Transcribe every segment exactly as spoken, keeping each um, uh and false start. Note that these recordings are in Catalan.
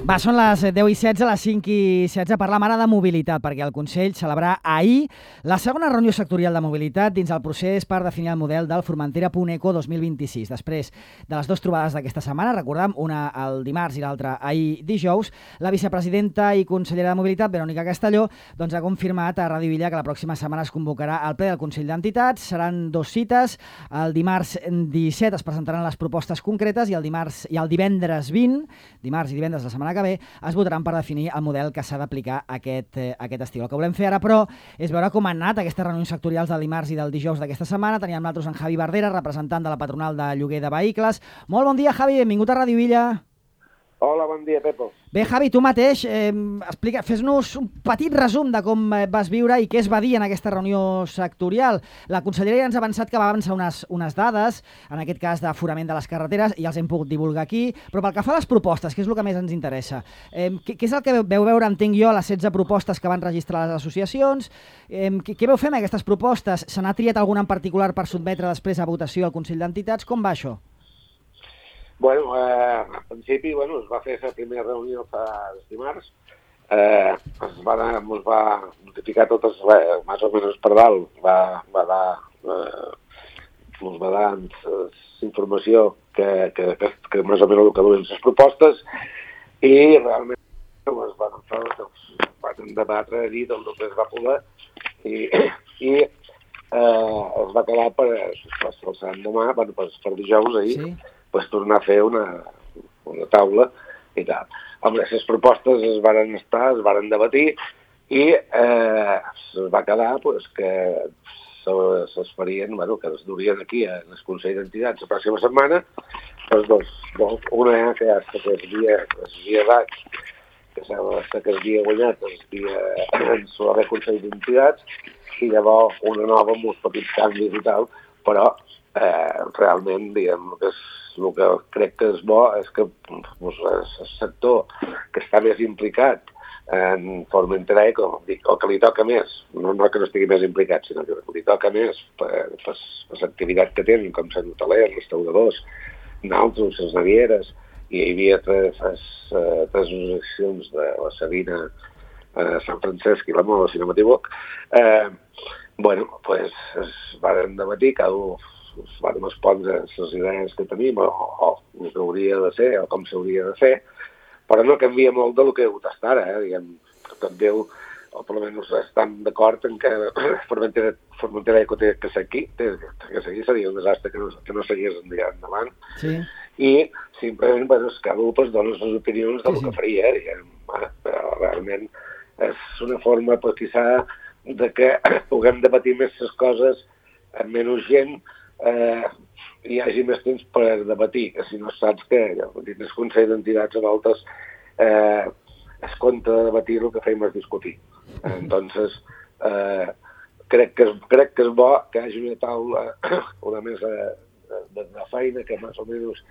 Va, són les deu i setze, les cinc i setze. Parlam ara de mobilitat, perquè el Consell celebrà ahir la segona reunió sectorial de mobilitat dins el procés per definir el model del Formentera-Puneco dos mil vint-i-sis. Després de les dues trobades d'aquesta setmana, recordem, una el dimarts i l'altra ahir dijous, la vicepresidenta i consellera de Mobilitat, Verònica Castelló, doncs ha confirmat a Ràdio Villa que la pròxima setmana es convocarà el ple del Consell d'Entitats. Seran dos cites. El dimarts disset es presentaran les propostes concretes i el dimarts i el divendres vint, dimarts i divendres de la setmana que ve, es votaran per definir el model que s'ha d'aplicar aquest, eh, aquest estiu. El que volem fer ara, però, és veure com han anat aquestes reunions sectorials del dimarts i del dijous d'aquesta setmana. Teníem nosaltres en Javi Bardera, representant de la patronal de lloguer de vehicles. Molt bon dia, Javi, benvingut a Ràdio Villa. Hola, bon dia, Pepo. Bé, Javi, tu mateix, eh, explica, fes-nos un petit resum de com vas viure i què es va dir en aquesta reunió sectorial. La conselleria ja ens ha avançat que va avançar unes, unes dades, en aquest cas d'aforament de les carreteres, i els hem pogut divulgar aquí, però pel que fa a les propostes, que és el que més ens interessa, eh, què, què és el que veu veure, entenc jo, les setze propostes que van registrar les associacions? Eh, què, què veu fer amb aquestes propostes? Se n'ha triat alguna en particular per sotmetre després a votació al Consell d'Entitats? Com va això? Bueno, eh, en principi, bueno, es va fer la primera reunió fa dimarts, eh, es va, es va notificar totes, eh, més o menys per dalt, va, va dar, eh, ens va dar eh, informació que, que, que, que més o menys el que duien les propostes, i realment es van, doncs, van debatre a dir del que es va poder, i, i eh, es va quedar per, per, per l'endemà, bueno, per, per dijous ahir, sí. Pues tornar a fer una, una taula i tal. Home, les propostes es varen estar, es varen debatir i eh, es va quedar pues, que es farien, bueno, que es durien aquí en el Consell d'Entitats la pròxima setmana, pues, doncs, doncs, una que ja que es havia, es havia dat, que que es havia guanyat, es havia en el Consell d'Entitats, i llavors una nova amb uns petits canvis i tal, però eh, realment, diguem, que és el que crec que és bo és que doncs, el sector que està més implicat en Formentera Eco, o que li toca més, no, no que no estigui més implicat, sinó que li toca més per, per, per l'activitat que tenen, com Sant Hotelers, restauradors, nosaltres, les navieres, i hi havia tres, tres, tres associacions de la Sabina, eh, Sant Francesc i la Mola, si no m'equivoc. Eh, bueno, pues es van debatir, cada un es van respondre les idees que tenim o, o el que hauria de ser o com s'hauria de fer, però no canvia molt del que heu estat ara, eh? Diguem, tot Déu, o per almenys estan d'acord en que Formentera, Formentera Eco té que ser aquí, té que seguir, seria un desastre que no, que no seguís endavant. Sí. I simplement, bueno, cada un pues, dona les opinions del sí, sí. que faria, eh? Diguem, eh? Però realment és una forma, pues, quizà, de que puguem debatir més les coses amb menys gent, Eh, hi hagi més temps per debatir, que si no saps que dins el Consell d'Entitats a voltes eh, es compta de debatir el que fem és discutir. Entonces, eh, crec, que és, crec que és bo que hi hagi una taula, una mesa de, de, de feina que més o menys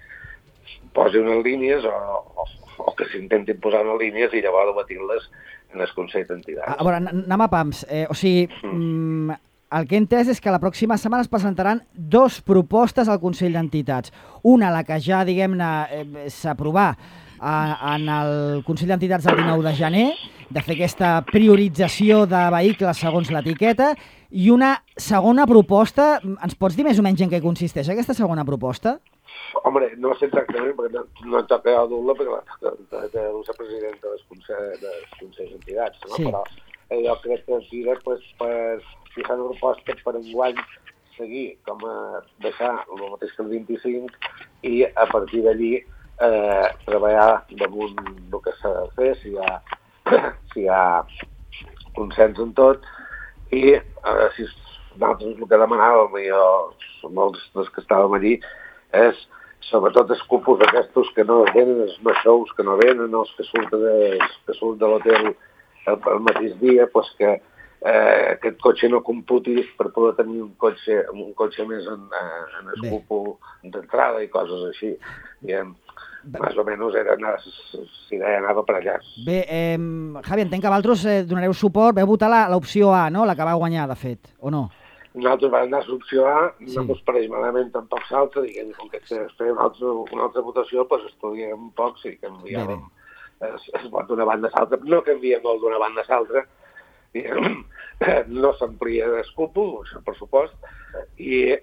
posi unes línies o, o, o que s'intentin posar unes línies i llavors debatir-les en el Consell d'Entitats. A, a veure, anem a pams. Eh, o sigui, mm. el que he entès és que la pròxima setmana es presentaran dos propostes al Consell d'Entitats. Una, la que ja, diguem-ne, eh, s'aprovà en el Consell d'Entitats del dinou de gener, de fer aquesta priorització de vehicles segons l'etiqueta, i una segona proposta. Ens pots dir més o menys en què consisteix aquesta segona proposta? Home, no sé exactament, perquè no, no em toca a dur-la, perquè té la presidenta dels Consells d'Entitats, no? Sí. Però jo crec que es dirà pues, per si fan una proposta per enguany seguir com a deixar el mateix que el vint-i-cinc i a partir d'allí eh, treballar damunt el que s'ha de fer, si hi ha, si hi ha consens en tot, i eh, si nosaltres el que demanàvem, i jo, molts dels que estàvem allí, és sobretot els cupos aquests que no venen, els no shows que no venen, els que surten de, que surt de l'hotel el, el mateix dia, pues que Eh, aquest cotxe no computi per poder tenir un cotxe, un cotxe més en, en el cupo d'entrada i coses així. I, més o menys era anar, si idea anava per allà. Bé, eh, Javi, entenc que vosaltres eh, donareu suport, veu votar l'opció A, no? La que va guanyar, de fet, o no? Nosaltres vam anar a l'opció A, sí. No ens pareix malament tampoc l'altre, diguem, com que es feia una altra, una altra votació, doncs estudiem un poc, sí, canviàvem. es, es pot d'una banda a l'altra, no canvia molt d'una banda a l'altra, no s'amplia d'escúpol, això per supost, i,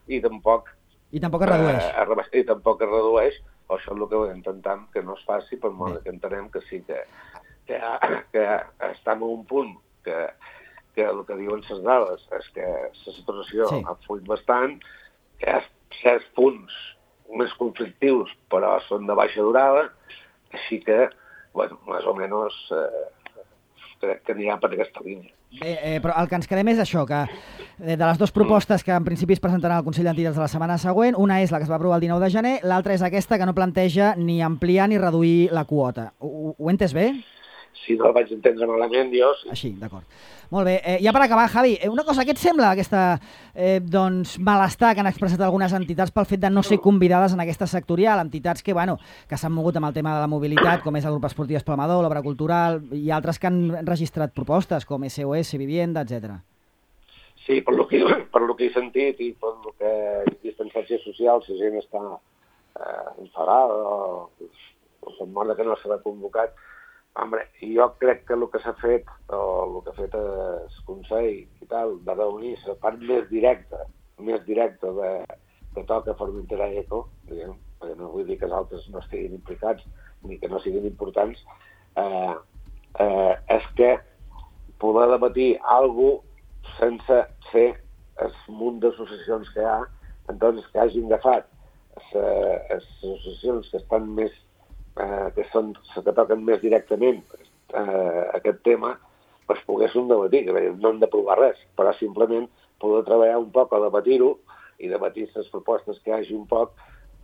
i tampoc I tampoc es redueix. Eh, I tampoc es redueix, o això és el que intentem que no es faci, per molt que entenem que sí que, que, que estem a un punt que, que el que diuen les dades és que la situació sí. ha fluït bastant, que hi ha certs punts més conflictius, però són de baixa durada, així que, bueno, més o menys eh, crec que anirà per aquesta línia. Bé, eh, però el que ens quedem és això, que de les dues propostes que en principi es presentaran al Consell d'Entitats de la setmana següent, una és la que es va aprovar el dinou de gener, l'altra és aquesta que no planteja ni ampliar ni reduir la quota. Ho, ho he entès bé? Si no el vaig entendre malament, jo sí. Així, d'acord. Molt bé. Eh, ja per acabar, Javi, una cosa, què et sembla aquesta eh, doncs, malestar que han expressat algunes entitats pel fet de no ser convidades en aquesta sectorial? Entitats que, bueno, que s'han mogut amb el tema de la mobilitat, com és el grup esportiu Espalmador, l'Obra Cultural, i altres que han registrat propostes, com S O S, Vivienda, etcètera. Sí, per lo que, per lo que he sentit i per lo que distància social, si gent està eh, enfadada o, o se'n mor que no s'ha convocat. Home, jo crec que el que s'ha fet, o el que ha fet el Consell i tal, de reunir la part més directa, més directa de, que toca Formentera Eco, diguem, perquè no vull dir que els altres no estiguin implicats ni que no siguin importants, eh, eh, és que poder debatir alguna cosa sense ser el munt d'associacions que hi ha, entonces que hagin agafat les associacions que estan més Eh, que són que toquen més directament eh, aquest tema, pues poguéssim debatir, que no hem d'aprovar res, però simplement poder treballar un poc a debatir-ho i debatir les propostes que hi hagi un poc,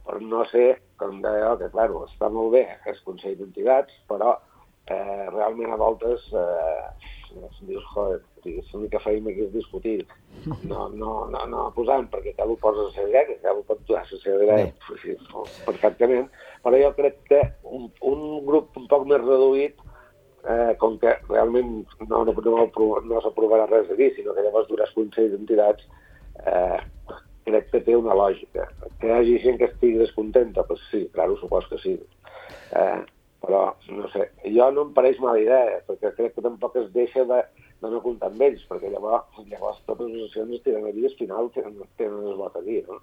per no ser, com deia, que clar, està molt bé el Consell d'Entitats, però eh, realment a voltes eh, dius, joder, l'única feina que és discutir, no, no, no, no posant, perquè cada un posa la seva idea, que cada un pot posar la seva idea perfectament, però jo crec que un, un grup un poc més reduït, eh, com que realment no, no, no, no s'aprovarà res d'aquí, sinó que llavors duràs Consell d'Entitats, eh, crec que té una lògica. Que hi hagi gent que estigui descontenta, doncs sí, clar, supos que sí. Eh, però, no sé, jo no em pareix mala idea, perquè crec que tampoc es deixa de, de no comptar amb ells, perquè llavors, llavors totes les associacions tenen aquí, al final tenen, tenen el vot aquí, no?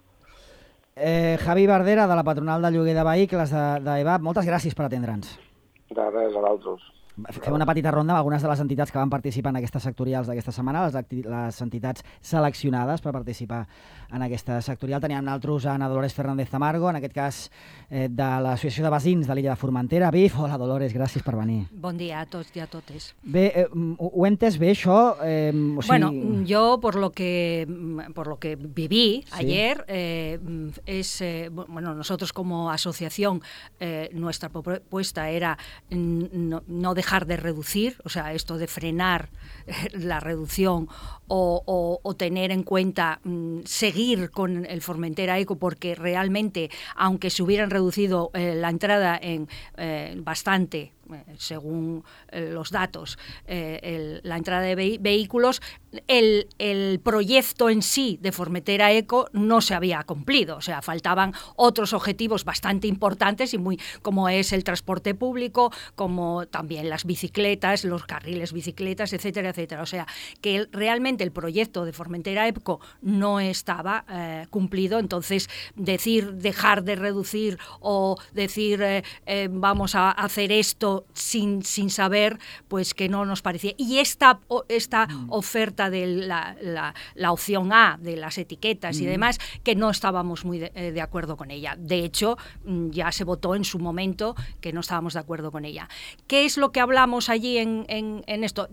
Eh, Javi Bardera, de la Patronal de Lloguer de Vehicles de, de E V A P, moltes gràcies per atendre'ns. De res, a l'altres. Fem una petita ronda amb algunes de les entitats que van participar en aquestes sectorials d'aquesta setmana, les, les entitats seleccionades per participar en aquesta sectorial. Teníem nosaltres a Ana Dolores Fernández Tamargo, en aquest cas eh, de l'Associació de Veïns de l'illa de Formentera, B I F. Hola, Dolores, gràcies per venir. Bon dia a tots i a totes. Bé, eh, ho he entès bé, això? Eh, o sigui... Bueno, yo por lo que por lo que viví ¿Sí? ayer, eh, es, eh, bueno, nosotros como asociación, eh, nuestra propuesta era no, no dejar de reducir, o sea, esto de frenar la reducción o, o, o tener en cuenta mm, seguir con el Formentera Eco, porque realmente, aunque se hubieran reducido eh, la entrada en eh, bastante, según eh, los datos, eh, el, la entrada de ve vehículos, el, el proyecto en sí de Formentera Eco no se había cumplido. O sea, faltaban otros objetivos bastante importantes, y muy, como es el transporte público, como también las bicicletas, los carriles bicicletas, etcétera, etcétera. O sea, que el, realmente el proyecto de Formentera Eco no estaba eh, cumplido. Entonces, decir dejar de reducir o decir eh, eh, vamos a hacer esto Sin, sin saber, pues que no nos parecía. Y esta, esta mm. oferta de la, la, la opción A, de las etiquetas mm. y demás, que no estábamos muy de, de acuerdo con ella. De hecho, ya se votó en su momento que no estábamos de acuerdo con ella. ¿Qué es lo que hablamos allí en, en, en esto?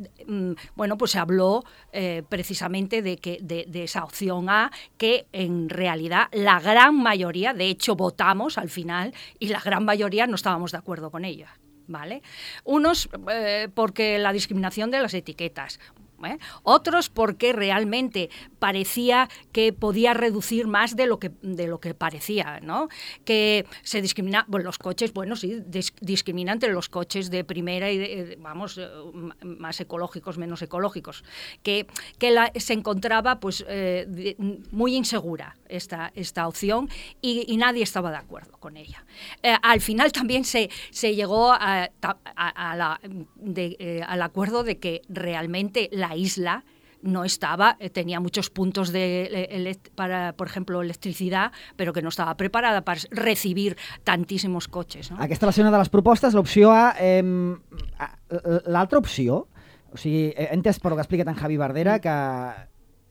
Bueno, pues se habló eh, precisamente de, que, de, de esa opción A, que en realidad la gran mayoría, de hecho votamos al final, y la gran mayoría no estábamos de acuerdo con ella. ¿Vale? Unos eh, porque la discriminación de las etiquetas. ¿eh? Otros porque realmente parecía que podía reducir más de lo que, de lo que parecía, ¿no? Que se discrimina, bueno, los coches, bueno, sí, dis, discrimina entre los coches de primera y, de, vamos, más ecológicos, menos ecológicos, que, que la, se encontraba, pues, eh, de, muy insegura esta, esta opción y, y nadie estaba de acuerdo con ella. Eh, al final también se, se llegó a, a, a la, de, eh, al acuerdo de que realmente la isla no estaba, tenía muchos puntos de, para, por ejemplo, electricidad, però que no estava preparada per recibir tantíssims cotxes. No? Aquesta va ser una de les propostes, l'opció A. Eh, L'altra opció, o sigui, he entès per lo que ha explicat en Javi Bardera, que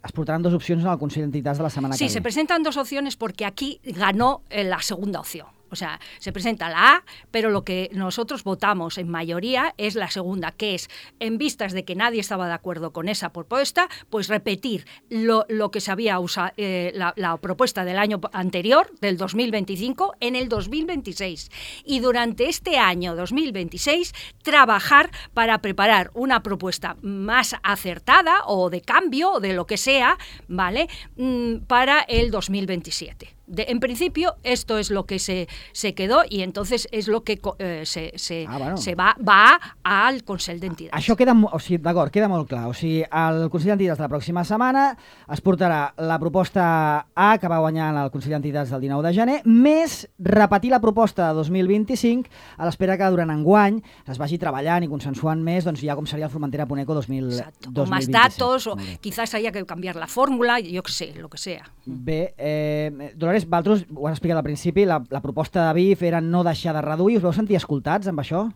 es portaran dos opcions en el Consell d'Entitats de la setmana sí, que ve. Sí, se presentan dos opciones porque aquí ganó la segunda opción. O sea, se presenta la A, pero lo que nosotros votamos en mayoría es la segunda, que es, en vistas de que nadie estaba de acuerdo con esa propuesta, pues repetir lo, lo que se había usado, eh, la, la propuesta del año anterior, del dos mil veinticinco, en el dos mil veintiséis. Y durante este año dos mil veintiséis, trabajar para preparar una propuesta más acertada o de cambio, o de lo que sea, ¿vale?, mm, para el dos mil veintisiete. De, en principio, esto es lo que se, se quedó y entonces es lo que eh, se, se, ah, bueno. se va, va al Consell d'Entitats. Això queda, o sigui, d'acord, queda molt clar. O sigui, al Consell d'Entitats de la pròxima setmana es portarà la proposta A, que va guanyar en el Consell d'Entitats del dinou de gener, més repetir la proposta de dos mil vint-i-cinc a l'espera que durant enguany es vagi treballant i consensuant més, doncs ja com seria el Formentera Puneco dos mil vint-i-set. O más datos, o quizás haya que cambiar la fórmula, yo que sé, lo que sea. Bé, eh, Dolores, vosaltres ho has explicat al principi, la, la proposta de B I F era no deixar de reduir. Us veu sentir escoltats amb això?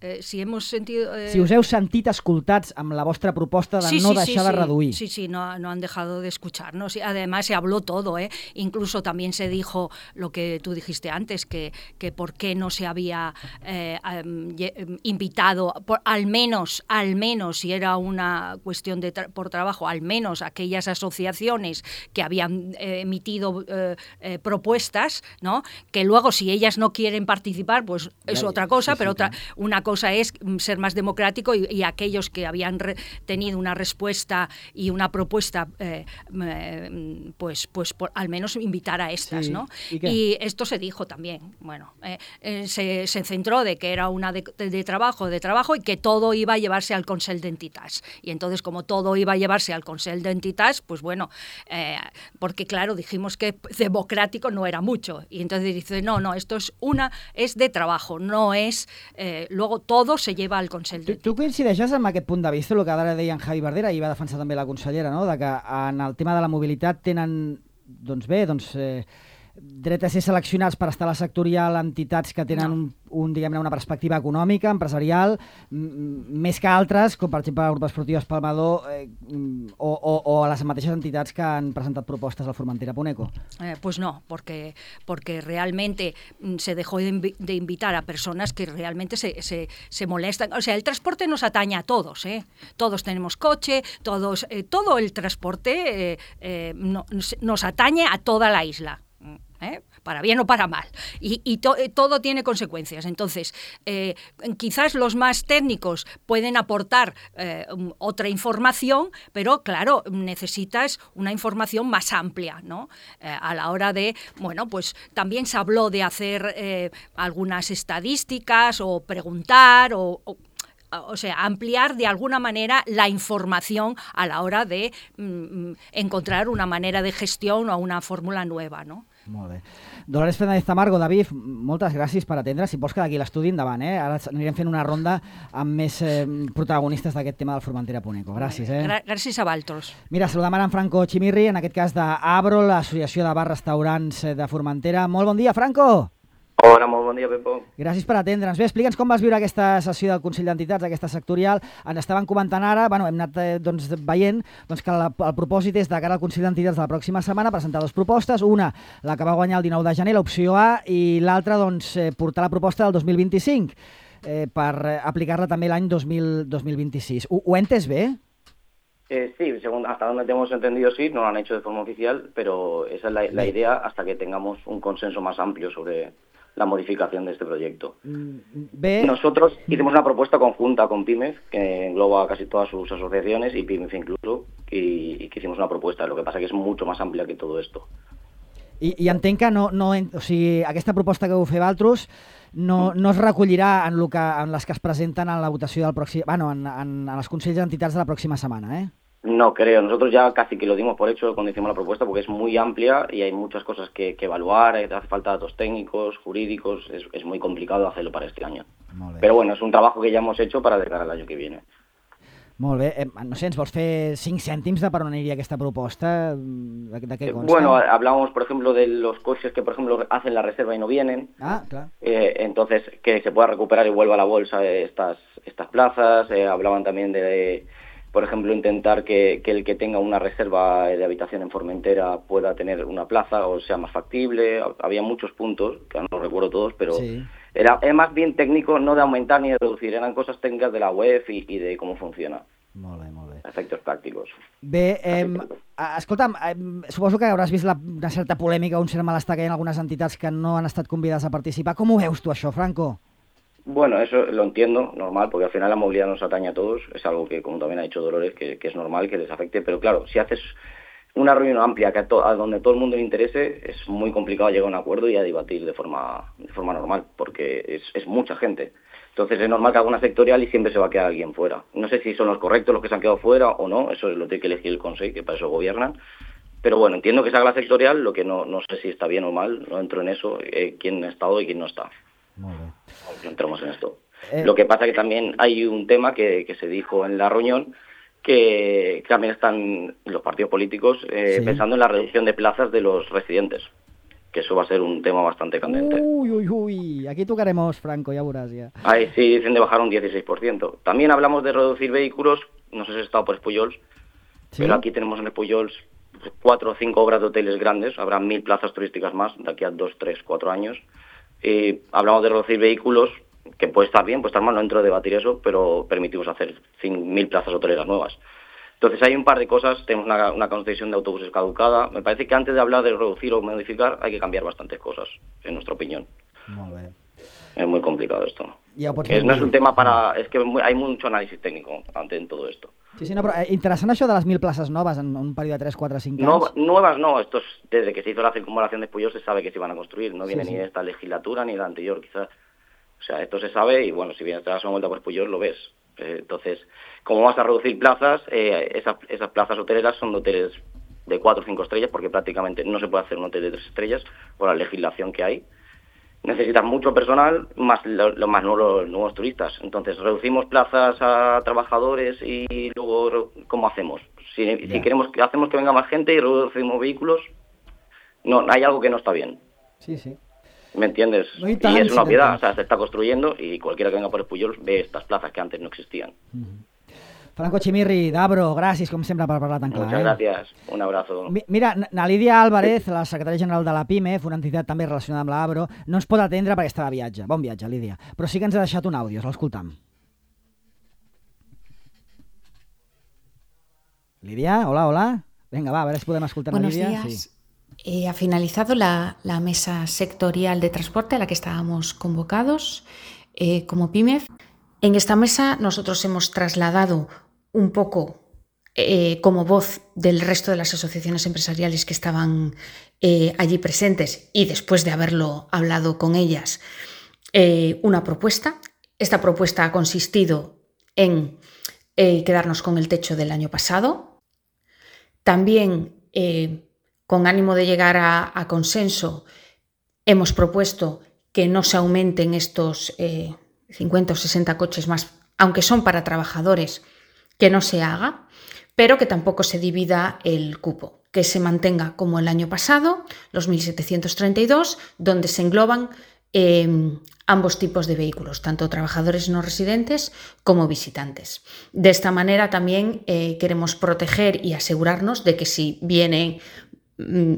Eh, si hemos sentido... Eh... Si us heu sentit escoltats amb la vostra proposta de sí, no sí, deixar sí, de sí. reduir. Sí, sí, no, no han dejado de escucharnos. Sí, además se habló todo, ¿eh? Incluso también se dijo lo que tú dijiste antes, que, que por qué no se había eh, um, invitado, por, al menos, al menos, si era una cuestión de tra por trabajo, al menos aquellas asociaciones que habían eh, emitido eh, eh, propuestas, ¿no? Que luego si ellas no quieren participar, pues es ya, otra cosa, sí, pero sí, otra, sí. Una cosa es ser más democrático y, y aquellos que habían re, tenido una respuesta y una propuesta, eh, eh, pues, pues por, al menos invitar a estas, sí. ¿no? ¿Y, y esto se dijo también. Bueno, eh, eh, se, se centró de que era una de, de, de trabajo, de trabajo y que todo iba a llevarse al Consell d'Entitats. Y entonces, como todo iba a llevarse al Consell d'Entitats, pues bueno, eh, porque claro, dijimos que democrático no era mucho. Y entonces dice, no, no, esto es una, es de trabajo, no es, eh, luego todo se lleva al Consell d'Entitats. Tu, tu coincideixes amb aquest punt de vista, el que ara deia en Javi Bardera, i va defensar també la consellera, no?, de que en el tema de la mobilitat tenen, doncs bé, doncs, eh, dret a ser seleccionats per estar a la sectorial entitats que tenen no. un, un, diguem-ne, una perspectiva econòmica, empresarial, més que altres, com per exemple el grup esportiu Espalmador eh, o, o, o a les mateixes entitats que han presentat propostes al Formentera Puneco. Eh, pues no, porque, porque realmente se dejó de, invi de invitar a personas que realmente se, se, se molestan. O sea, el transporte nos atañe a todos, ¿eh? Todos tenemos coche, todos, eh, todo el transporte eh, eh, no, nos atañe a toda la isla. ¿Eh? Para bien o para mal, y, y to todo tiene consecuencias. Entonces, eh, quizás los más técnicos pueden aportar eh, otra información, pero claro, necesitas una información más amplia, ¿no? Eh, a la hora de, bueno, pues también se habló de hacer eh, algunas estadísticas o preguntar o... o O sea, ampliar de alguna manera la información a la hora de mm, encontrar una manera de gestión o una fórmula nueva, ¿no? Molt bé. Dolores Fernández Tamargo, David, moltes gràcies per atendre. Si vols quedar aquí a l'estudi, endavant, eh? Ara anirem fent una ronda amb més eh, protagonistes d'aquest tema del Formentera Puneco. Gràcies, eh? Gràcies a vosaltres. Mira, saludem ara en Franco Chimirri, en aquest cas d'Abro, l'Associació de Bars Restaurants de Formentera. Molt bon dia, Franco! Hola, molt bon dia, Pepo. Gràcies per atendre'ns. Bé, explica'ns com vas viure aquesta sessió del Consell d'Entitats, aquesta sectorial. Ens estaven comentant ara, bueno, hem anat eh, doncs, veient doncs, que la, el propòsit és de cara al Consell d'Entitats de la pròxima setmana presentar dues propostes. Una, la que va guanyar el dinou de gener, l'opció A, i l'altra, doncs, eh, portar la proposta del dos mil vint-i-cinc eh, per eh, aplicar-la també l'any dos mil vint-i-sis. Ho, ho he entès bé? Eh, sí, según, hasta donde hemos entendido sí, no lo han hecho de forma oficial, pero esa es la, la idea hasta que tengamos un consenso más amplio sobre... la modificación de este proyecto. Bé... Nosotros hicimos una propuesta conjunta con PYMEF, que engloba casi todas sus asociaciones, y PYMEF incluso, y, y que hicimos una propuesta. Lo que pasa que es mucho más amplia que todo esto. I, i entenc que no, no, o sigui, aquesta proposta que heu fet vosaltres no, no es recollirà en, lo que, en les que es presenten en la votació del pròxim... Bueno, en, en, en els consells d'entitats de la pròxima setmana, eh? No creo, nosotros ya casi que lo dimos por hecho cuando hicimos la propuesta, porque es muy amplia y hay muchas cosas que, que evaluar, hace falta datos técnicos, jurídicos, es, es muy complicado hacerlo para este año. Pero bueno, es un trabajo que ya hemos hecho para de cara al año que viene. Molt bé. Eh, no sé, ens vols fer cinc cèntims de per on aniria aquesta proposta? De, de què consta? Bueno, hablamos, por ejemplo, de los coches que, por ejemplo, hacen la reserva y no vienen. Ah, claro. Eh, entonces, que se pueda recuperar y vuelva a la bolsa estas, estas plazas. Eh, hablaban también de... de por ejemplo, intentar que, que el que tenga una reserva de habitación en Formentera pueda tener una plaza o sea más factible. Había muchos puntos, que no recuerdo todos, pero sí. era, era más bien técnico, no de aumentar ni de reducir, eran cosas técnicas de la web y, y de cómo funciona. Molt bé, molt bé. Efectes pràctics. Bé, eh, escolta'm, eh, suposo que hauràs vist la, una certa polèmica, un cert malestar que hi ha en algunes entitats que no han estat convidades a participar. Com ho veus tu, això, Franco? Bueno, eso lo entiendo, normal, porque al final la movilidad nos atañe a todos, es algo que, como también ha dicho Dolores, que, que es normal que les afecte, pero claro, si haces una reunión amplia que a, to, a donde todo el mundo le interese, es muy complicado llegar a un acuerdo y a debatir de forma, de forma normal, porque es, es mucha gente. Entonces es normal que haga una sectorial y siempre se va a quedar alguien fuera. No sé si son los correctos los que se han quedado fuera o no, eso lo tiene que elegir el Consejo, que para eso gobiernan. Pero bueno, entiendo que se haga la sectorial, lo que no, no sé si está bien o mal, no entro en eso, eh, quién ha estado y quién no está. Molt bé. No entramos en esto. Eh... Lo que pasa que también hay un tema que, que se dijo en la reunión, que también están los partidos políticos eh, sí. pensando en la reducción de plazas de los residentes, que eso va a ser un tema bastante candente. Uy, uy, uy, aquí tocaremos, Franco, ya verás ya. Ahí sí, dicen de bajar un dieciséis por ciento. También hablamos de reducir vehículos, no sé si has estado por Espullols, ¿sí? Pero aquí tenemos en Espullols cuatro o cinco obras de hoteles grandes, habrá mil plazas turísticas más de aquí a dos, tres, cuatro años. Y hablamos de reducir vehículos, que puede estar bien, puede estar mal, no entro a debatir eso, pero permitimos hacer mil plazas hoteleras nuevas. Entonces hay un par de cosas, tenemos una, una concesión de autobuses caducada. Me parece que antes de hablar de reducir o modificar hay que cambiar bastantes cosas, en nuestra opinión. Molt bé. Es muy complicado esto. Ja es, no es un tema para... Es que hay mucho análisis técnico ante en todo esto. Sí, sí, no, però interessant això de les mil places noves en un període de tres, quatre, cinc anys. No, nuevas no, estos, desde que se hizo la circunvalación de Espullols se sabe que se iban a construir, no viene sí, sí. ni de esta legislatura ni de la anterior quizás. O sea, esto se sabe y bueno, si vienes a dar una vuelta por Espullols lo ves. Eh, entonces, como vas a reducir plazas, eh, esas, esas plazas hoteleras son de hoteles de cuatro o cinco estrellas, porque prácticamente no se puede hacer un hotel de tres estrellas por la legislación que hay. Necesitas mucho personal, más lo, lo más nuevos, los nuevos turistas. Entonces, reducimos plazas a trabajadores y luego, ¿cómo hacemos? Si, si queremos que hacemos que venga más gente y reducimos vehículos, no, hay algo que no está bien. Sí, sí. ¿Me entiendes? No y, y es una obviedad, o sea, se está construyendo y cualquiera que venga por Espullols ve estas plazas que antes no existían. Mm-hmm. Franco Chimirri, d'Abro, gràcies, com sempre, per parlar tan clar. Muchas eh? gracias, un abrazo. Mira, na Lídia Álvarez, la secretària general de la PYMEF, una entitat també relacionada amb l'Abro, no ens pot atendre perquè està de viatge. Bon viatge, Lídia. Però sí que ens ha deixat un àudio, l'escoltam. Lídia, hola, hola. Venga, va, a veure si podem escoltar a Lídia. Buenos días. Sí. Eh, ha finalizado la, la mesa sectorial de transporte a la que estábamos convocados eh, como PYMEF. En esta mesa nosotros hemos trasladado un poco eh, como voz del resto de las asociaciones empresariales que estaban eh, allí presentes y después de haberlo hablado con ellas, eh, una propuesta. Esta propuesta ha consistido en eh, quedarnos con el techo del año pasado. También, eh, con ánimo de llegar a, a consenso, hemos propuesto que no se aumenten estos eh, cincuenta o sesenta coches más, aunque son para trabajadores, que no se haga, pero que tampoco se divida el cupo, que se mantenga como el año pasado, los mil setecientos treinta y dos, donde se engloban eh, ambos tipos de vehículos, tanto trabajadores no residentes como visitantes. De esta manera también eh, queremos proteger y asegurarnos de que si vienen mm,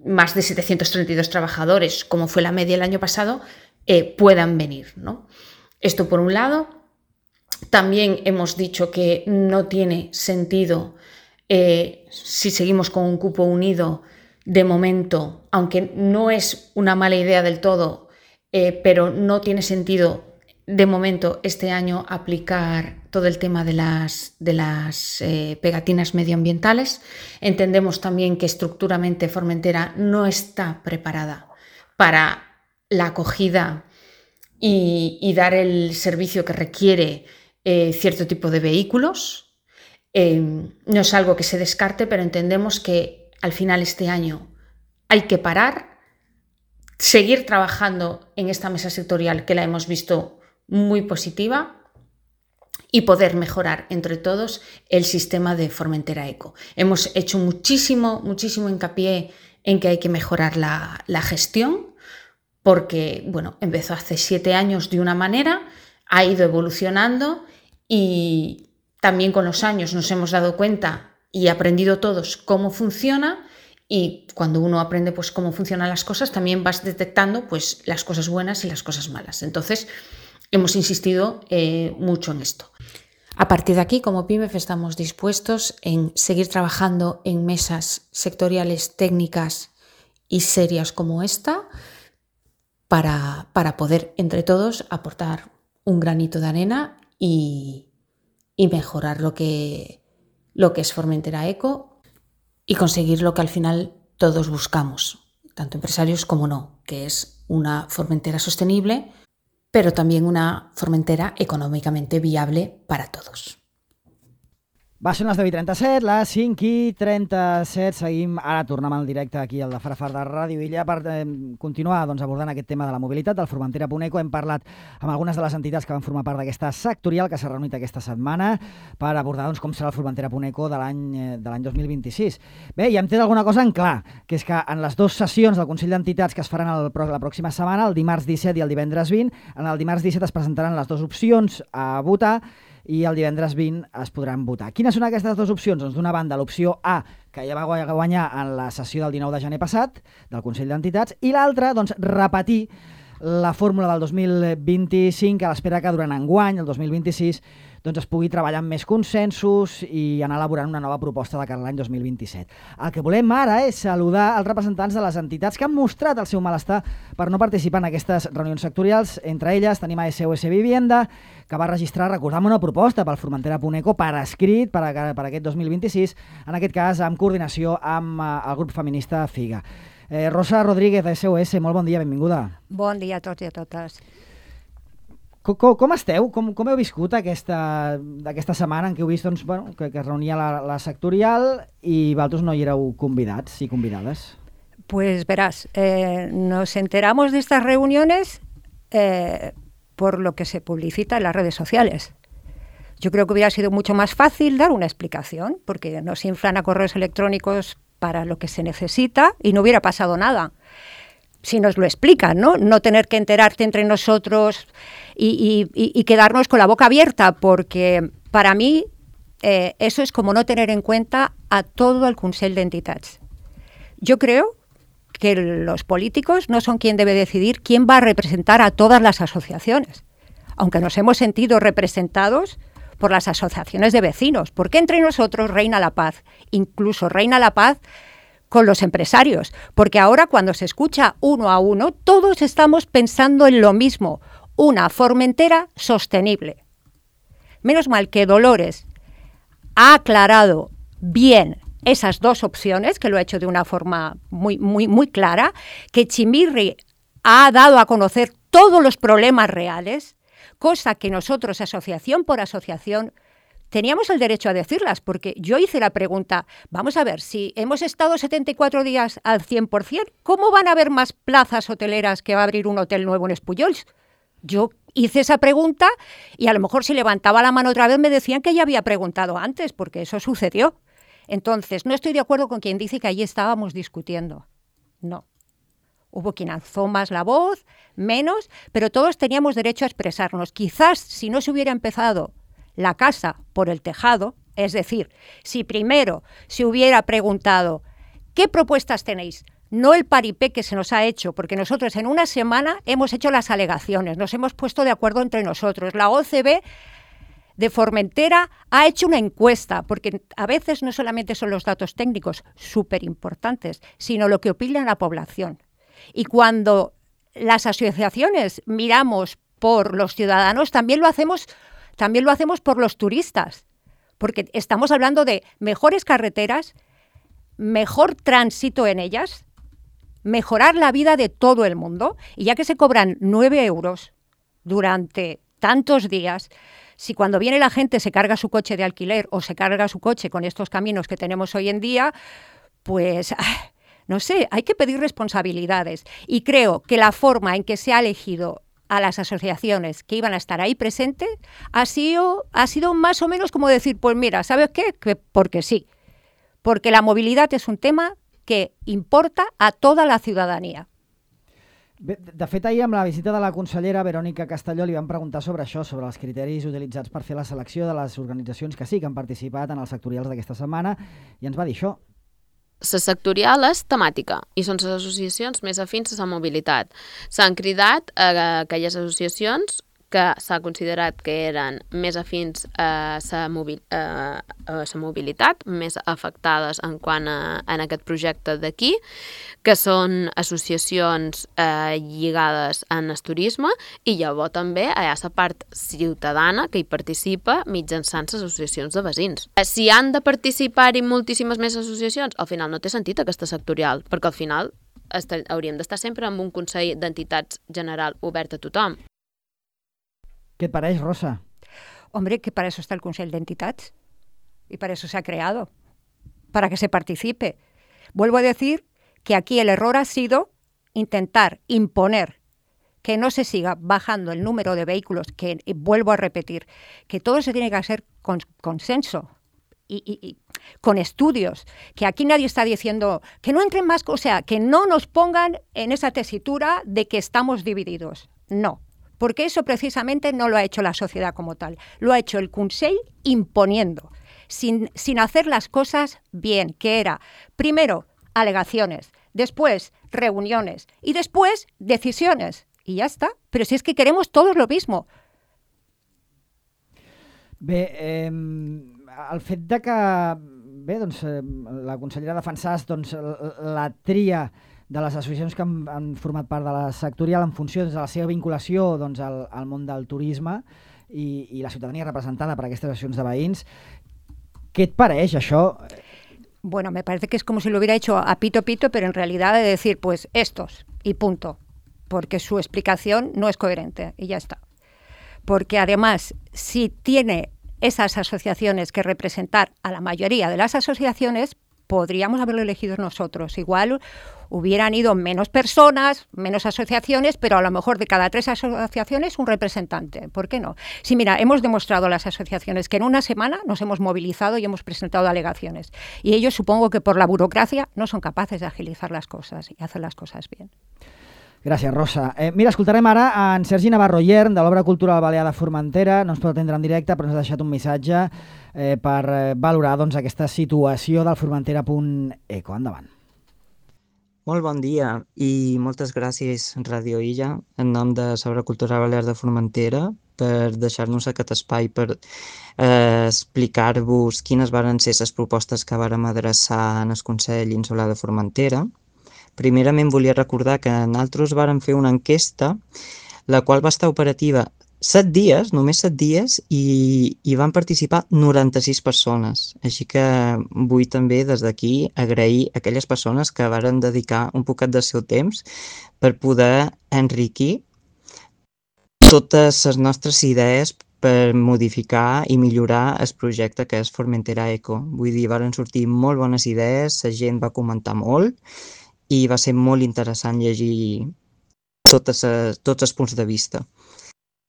más de setecientos treinta y dos trabajadores, como fue la media el año pasado, eh, puedan venir, ¿no? Esto por un lado. También hemos dicho que no tiene sentido, eh, si seguimos con un cupo unido, de momento, aunque no es una mala idea del todo, eh, pero no tiene sentido de momento este año aplicar todo el tema de las, de las eh, pegatinas medioambientales. Entendemos también que estructuralmente Formentera no está preparada para la acogida y, y dar el servicio que requiere eh, cierto tipo de vehículos. Eh, no es algo que se descarte, pero entendemos que al final este año hay que parar, seguir trabajando en esta mesa sectorial que la hemos visto muy positiva y poder mejorar entre todos el sistema de Formentera Eco. Hemos hecho muchísimo, muchísimo hincapié en que hay que mejorar la, la gestión porque, bueno, empezó hace siete años de una manera, ha ido evolucionando y también con los años nos hemos dado cuenta y aprendido todos cómo funciona. Y cuando uno aprende pues, cómo funcionan las cosas, también vas detectando pues, las cosas buenas y las cosas malas. Entonces, hemos insistido eh, mucho en esto. A partir de aquí, como PIMEF, estamos dispuestos en seguir trabajando en mesas sectoriales técnicas y serias como esta para, para poder, entre todos, aportar un granito de arena y, y mejorar lo que, lo que es Formentera Eco y conseguir lo que al final todos buscamos, tanto empresarios como no, que es una Formentera sostenible, pero también una Formentera econòmicamente viable para todos. Va, són les deu i trenta-set, les cinc i trenta-set. Seguim, ara tornem al directe aquí al de Farafar de Ràdio Illa per eh, continuar doncs, abordant aquest tema de la mobilitat del Formentera punt eco. Hem parlat amb algunes de les entitats que van formar part d'aquesta sectorial que s'ha reunit aquesta setmana per abordar doncs, com serà el Formentera punt eco de l'any de l'any dos mil vint-i-sis. Bé, ja hem tret alguna cosa en clar, que és que en les dues sessions del Consell d'Entitats que es faran el, la pròxima setmana, el dimarts disset i el divendres vint, en el dimarts disset es presentaran les dues opcions a votar i el divendres vint es podran votar. Quines són aquestes dues opcions? Doncs d'una banda l'opció A, que ja va guanyar en la sessió del dinou de gener passat del Consell d'Entitats, i l'altra, doncs, repetir la fórmula del dos mil vint-i-cinc a l'espera que durant enguany, el dos mil vint-i-sis, doncs es pugui treballar amb més consensos i anar elaborant una nova proposta de cara a l'any dos mil vint-i-set. El que volem ara és saludar els representants de les entitats que han mostrat el seu malestar per no participar en aquestes reunions sectorials. Entre elles tenim a S O S Vivienda, que va registrar, recordem, una proposta pel Formentera punt eco per escrit per, a, per aquest dos mil vint-i-sis, en aquest cas amb coordinació amb uh, el grup feminista FIGA. Eh, Rosa Rodríguez, de S O S, molt bon dia, benvinguda. Bon dia a tots i a totes. Com, com, com esteu? Com, com heu viscut aquesta, aquesta setmana en què heu vist doncs, bueno, que, que es reunia la, la sectorial i vosaltres no hi éreu convidats i convidades? Pues verás, eh, nos enteramos de estas reuniones eh, por lo que se publicita en las redes sociales. Yo creo que hubiera sido mucho más fácil dar una explicación, porque nos inflan a correos electrónicos para lo que se necesita y no hubiera pasado nada. Si nos lo explican, ¿no? No tener que enterarte entre nosotros y, y, y quedarnos con la boca abierta, porque para mí eh, eso es como no tener en cuenta a todo el Consell d'Entitats. Yo creo que los políticos no son quien debe decidir quién va a representar a todas las asociaciones, aunque nos hemos sentido representados por las asociaciones de vecinos, porque entre nosotros reina la paz, incluso reina la paz con los empresarios, porque ahora cuando se escucha uno a uno, todos estamos pensando en lo mismo, una Formentera sostenible. Menos mal que Dolores ha aclarado bien esas dos opciones, que lo ha hecho de una forma muy, muy, muy clara, que Chimirri ha dado a conocer todos los problemas reales, cosa que nosotros, asociación por asociación, teníamos el derecho a decirlas, porque yo hice la pregunta, vamos a ver, si hemos estado setenta y cuatro días al cien por cien, ¿cómo van a haber más plazas hoteleras que va a abrir un hotel nuevo en Espullols? Yo hice esa pregunta y a lo mejor si levantaba la mano otra vez me decían que ya había preguntado antes, porque eso sucedió. Entonces, no estoy de acuerdo con quien dice que allí estábamos discutiendo. No. Hubo quien alzó más la voz, menos, pero todos teníamos derecho a expresarnos. Quizás si no se hubiera empezado la casa por el tejado, es decir, si primero se hubiera preguntado ¿qué propuestas tenéis? No el paripé que se nos ha hecho, porque nosotros en una semana hemos hecho las alegaciones, nos hemos puesto de acuerdo entre nosotros. La O C B de Formentera ha hecho una encuesta, porque a veces no solamente son los datos técnicos súper importantes, sino lo que opina la población. Y cuando las asociaciones miramos por los ciudadanos, también lo hacemos, también lo hacemos por los turistas, porque estamos hablando de mejores carreteras, mejor tránsito en ellas, mejorar la vida de todo el mundo, y ya que se cobran nueve euros durante tantos días, si cuando viene la gente se carga su coche de alquiler o se carga su coche con estos caminos que tenemos hoy en día, pues no sé, hay que pedir responsabilidades. Y creo que la forma en que se ha elegido a las asociaciones que iban a estar ahí presentes ha sido, ha sido más o menos como decir, pues mira, ¿sabes qué? Que porque sí. Porque la movilidad es un tema que importa a toda la ciudadanía. Bé, de fet, ahir amb la visita de la consellera Verònica Castelló li vam preguntar sobre això, sobre els criteris utilitzats per fer la selecció de les organitzacions que sí que han participat en els sectorials d'aquesta setmana, i ens va dir això. La sectorial és temàtica i són les associacions més afins a la mobilitat. S'han cridat a aquelles associacions que s'ha considerat que eren més afins a la mobil, a, a la mobilitat, més afectades en quant a en aquest projecte d'aquí, que són associacions eh, lligades en el turisme, i llavors també hi ha la part ciutadana que hi participa mitjançant les associacions de veïns. Si han de participar-hi moltíssimes més associacions, al final no té sentit aquesta sectorial, perquè al final estar, hauríem d'estar sempre amb un Consell d'Entitats General obert a tothom. ¿Qué te parece, Rosa? Hombre, que para eso está el Consell d'Entitats y para eso se ha creado, para que se participe. Vuelvo a decir que aquí el error ha sido intentar imponer que no se siga bajando el número de vehículos, que vuelvo a repetir, que todo se tiene que hacer con consenso y, y, y con estudios, que aquí nadie está diciendo que no entren más, o sea, que no nos pongan en esa tesitura de que estamos divididos. No. Porque eso precisamente no lo ha hecho la sociedad como tal, lo ha hecho el Consell imponiendo, sin, sin hacer las cosas bien, que era, primero, alegaciones, después, reuniones y después, decisiones. Y ya está, pero si es que queremos todos lo mismo. Bé, eh, el fet de que bé, doncs, eh, la consellera defensàs doncs, la tria de les associacions que han, han format part de la sectorial en funció de la seva vinculació doncs, al, al món del turisme i, i la ciutadania representada per aquestes associacions de veïns. Què et pareix això? Bueno, me parece que es como si lo hubiera hecho a pito pito, pero en realidad de decir, pues estos, y punto. Porque su explicación no es coherente, y ya está. Porque además, si tiene esas asociaciones que representar a la mayoría de las asociaciones, podríamos haberlo elegido nosotros. Igual hubieran ido menos personas, menos asociaciones, pero a lo mejor de cada tres asociaciones un representante. ¿Por qué no? Sí, mira, hemos demostrado a las asociaciones que en una semana nos hemos movilizado y hemos presentado alegaciones. Y ellos, supongo que por la burocracia, no son capaces de agilizar las cosas y hacer las cosas bien. Gràcies, Rosa. Eh, mira, escoltarem ara en Sergi Navarro Yern, de l'Obra Cultural Balear de Formentera. No ens pot atendre en directe, però ens ha deixat un missatge eh, per eh, valorar doncs, aquesta situació del formentera punt eco. Endavant. Molt bon dia i moltes gràcies, Radio Illa, en nom de l'Obra Cultural Balear de Formentera, per deixar-nos aquest espai per eh, explicar-vos quines varen ser les propostes que vàrem adreçar en el Consell Insular de Formentera. Primerament volia recordar que nosaltres vàrem fer una enquesta, la qual va estar operativa set dies, només set dies, i, i van participar noranta-sis persones. Així que vull també des d'aquí agrair a aquelles persones que varen dedicar un poquet del seu temps per poder enriquir totes les nostres idees per modificar i millorar el projecte que és Formentera Eco. Vull dir, varen sortir molt bones idees, la gent va comentar molt, i va ser molt interessant llegir totes, tots els punts de vista.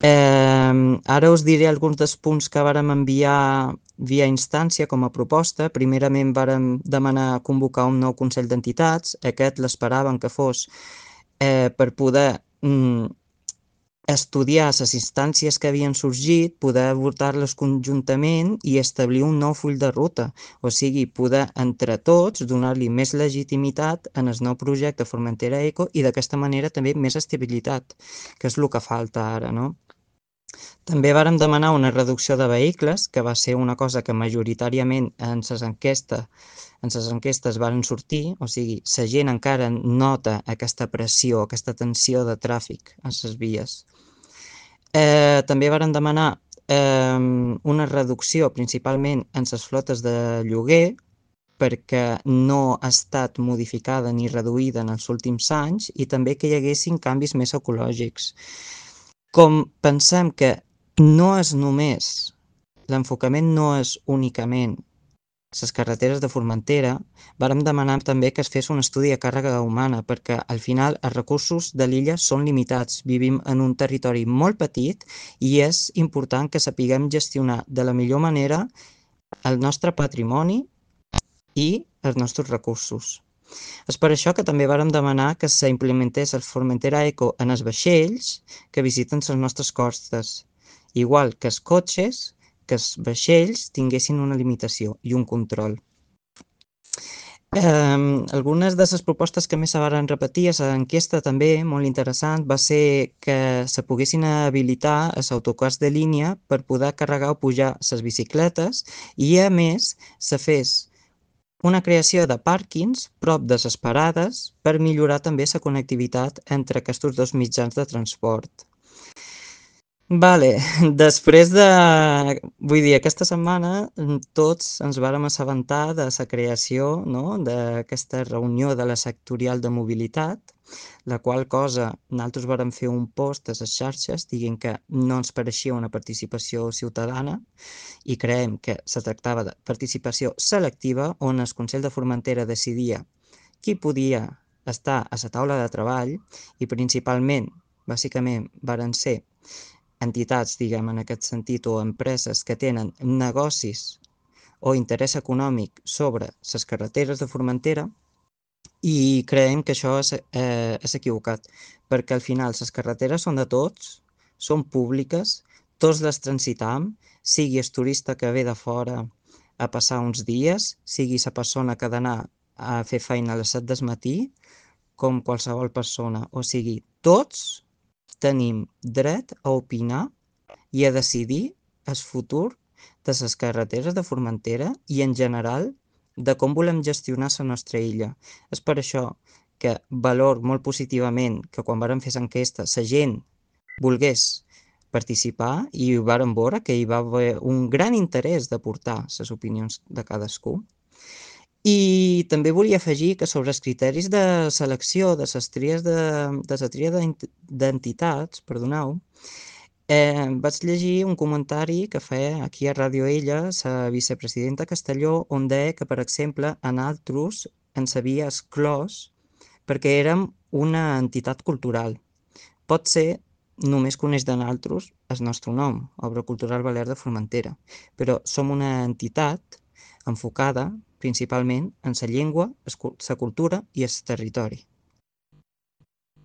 Eh, ara us diré alguns dels punts que vàrem enviar via instància com a proposta. Primerament vàrem demanar convocar un nou Consell d'Entitats. Aquest l'esperaven que fos eh, per poder mm, estudiar les instàncies que havien sorgit, poder abordar-les conjuntament i establir un nou full de ruta. O sigui, poder entre tots donar-li més legitimitat en el nou projecte Formentera Eco i d'aquesta manera també més estabilitat, que és el que falta ara, no? També vàrem demanar una reducció de vehicles, que va ser una cosa que majoritàriament en les enquestes, en les enquestes varen sortir, o sigui, la gent encara nota aquesta pressió, aquesta tensió de tràfic a les vies. Eh, també varen demanar eh, una reducció principalment en les flotes de lloguer, perquè no ha estat modificada ni reduïda en els últims anys, i també que hi haguessin canvis més ecològics. Com pensem que no és només, l'enfocament no és únicament les carreteres de Formentera, vàrem demanar també que es fes un estudi de càrrega humana, perquè al final els recursos de l'illa són limitats. Vivim en un territori molt petit i és important que sapiguem gestionar de la millor manera el nostre patrimoni i els nostres recursos. És per això que també vàrem demanar que s'implementés el Formentera Eco en els vaixells que visiten les nostres costes, igual que els cotxes, que els vaixells tinguessin una limitació i un control. Eh, algunes de les propostes que més se van repetir a l'enquesta també, molt interessant, va ser que se poguessin habilitar els autocars de línia per poder carregar o pujar les bicicletes i, a més, se fes una creació de pàrquings prop de les parades per millorar també la connectivitat entre aquests dos mitjans de transport. Vale, després de... Vull dir, aquesta setmana tots ens vàrem assabentar de la creació, no?, d'aquesta reunió de la sectorial de mobilitat, la qual cosa nosaltres vàrem fer un post a les xarxes dient que no ens pareixia una participació ciutadana i creiem que se tractava de participació selectiva on el Consell de Formentera decidia qui podia estar a la taula de treball i principalment, bàsicament, varen ser entitats, diguem, en aquest sentit, o empreses que tenen negocis o interès econòmic sobre les carreteres de Formentera, i creiem que això és, eh, és equivocat, perquè al final les carreteres són de tots, són públiques, tots les transitam, sigui el turista que ve de fora a passar uns dies, sigui la persona que ha d'anar a fer feina a les set del matí, com qualsevol persona, o sigui, tots tenim dret a opinar i a decidir el futur de les carreteres de Formentera i, en general, de com volem gestionar la nostra illa. És per això que valor molt positivament que quan vàrem fer l'enquesta la gent volgués participar i vàrem veure que hi va haver un gran interès d'aportar les opinions de cadascú. I també volia afegir que sobre els criteris de selecció de les tries de, de la tria d'entitats, perdoneu, eh, vaig llegir un comentari que feia aquí a Ràdio Ella la vicepresidenta Castelló, on deia que, per exemple, a nosaltres ens havia exclòs perquè érem una entitat cultural. Pot ser només coneix de nosaltres el nostre nom, Obra Cultural Balear de Formentera, però som una entitat enfocada principalment en la llengua, la cultura i el territori.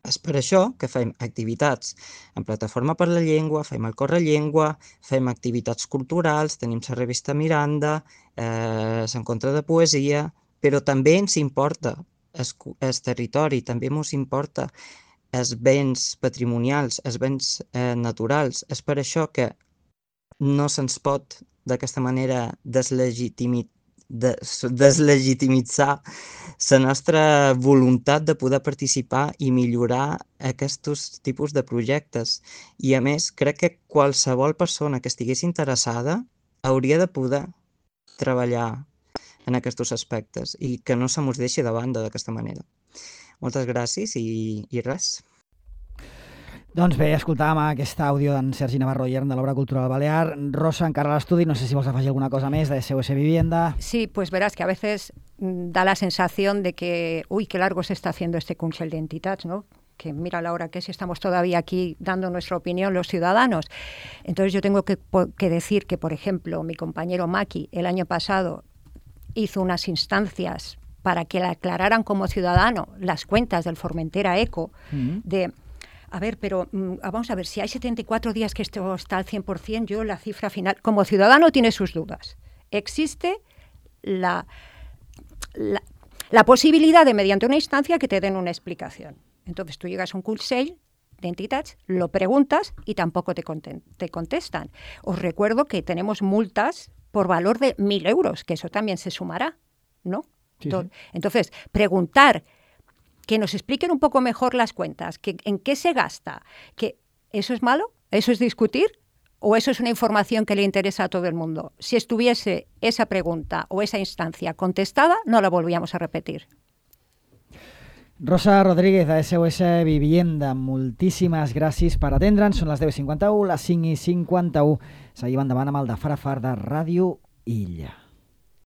És per això que fem activitats en Plataforma per la Llengua, fem el Correllengua, fem activitats culturals, tenim la revista Miranda, eh, l'encontre de poesia, però també ens importa el, el territori, també ens importa els béns patrimonials, els béns eh, naturals. És per això que no se'ns pot d'aquesta manera deslegitimitzar De, deslegitimitzar la nostra voluntat de poder participar i millorar aquests tipus de projectes. I, a més, crec que qualsevol persona que estigués interessada hauria de poder treballar en aquests aspectes i que no se mos deixi de banda d'aquesta manera. Moltes gràcies i, i res. Doncs bé, escoltàvem aquest àudio d'en Sergi Navarro Yern de l'Obra Cultural Balear. Rosa, encara a l'estudi, no sé si vols afegir alguna cosa més de S O S Vivienda. Sí, pues verás que a veces da la sensación de que, uy, qué largo se está haciendo este Consell d'Entitats, ¿no? Que mira la hora que es, estamos todavía aquí dando nuestra opinión los ciudadanos. Entonces yo tengo que, que decir que, por ejemplo, mi compañero Maki el año pasado hizo unas instancias para que le aclararan como ciudadano las cuentas del Formentera Eco, uh-huh. de... A ver, pero mm, vamos a ver, si hay setenta y cuatro días que esto está al cien por ciento, yo la cifra final, como ciudadano tiene sus dudas. Existe la, la, la posibilidad de, mediante una instancia, que te den una explicación. Entonces tú llegas a un Consell de entidades, lo preguntas y tampoco te, te contestan. Os recuerdo que tenemos multas por valor de mil euros, que eso también se sumará, ¿no? Sí, sí. Entonces, preguntar, que nos expliquen un poco mejor las cuentas, que, en qué se gasta, que ¿eso es malo? ¿Eso es discutir? ¿O eso es una información que le interesa a todo el mundo? Si estuviese esa pregunta o esa instancia contestada, no la volvíamos a repetir. Rosa Rodríguez, de S O S Vivienda, moltíssimes gràcies per atendre'ns. Són les deu i cinquanta-u, les cinc i cinquanta-u. Seguim endavant amb el de Farafar de Ràdio Illa.